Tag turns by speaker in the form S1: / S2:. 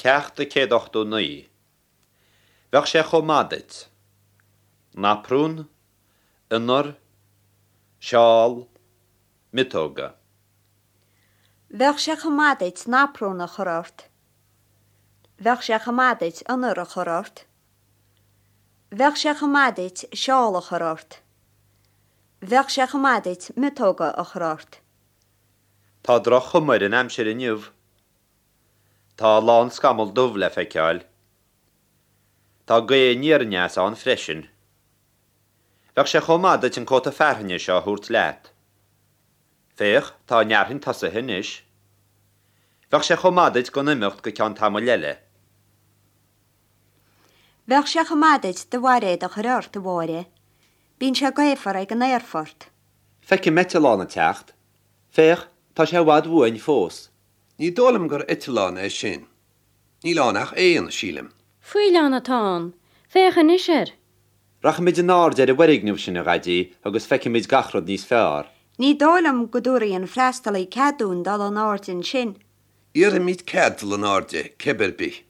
S1: Ceacht 189. Bheadh sé chomh maith duit. Naprún, ionar, seál, miotóga.
S2: Bheadh sé chomh maith duit naprún a chur ort. Bheadh sé chomh maith duit ionar a chur ort. Bheadh sé chomh maith duit seál a chur ort. Bheadh sé chomh maith duit miotóga a chur ort.
S1: Tá droch-chuma ar an aimsir inniu. Tá a lán scamall dubh le feiceáil. Tá gaoth aniar aneas ann freisin. Bheadh sé chomh maith duit an cóta fearthainne seo a thabhairt leat. Féach, tá an fhearthainn tosaithe anois. Bheadh sé chomh maith duit gan imeacht go ceann tamaill eile.
S2: Bheadh sé chomh maith duit do bhairéad a chur ort, a Mháire. Bíonn sé gaofar ag an aerfort.
S1: Feicim eitleán ag teacht. Féach, tá sé i bhfad uainn fós.
S3: Ní dóigh liom gur eitleán é sin. Níl ann ach éan, sílim.
S4: Faoileán atá ann. Féach anois air.
S1: Rachaimid in airde ar an bhfoirgneamh sin, a Dhaidí, agus feicfimid gach rud níos fearr.
S2: Ní dóigh liom go dtabharfaidh an freastalaí cead dúinn dul in airde ansin.
S3: Iarrfaimid cead dul in airde, cibé ar bith.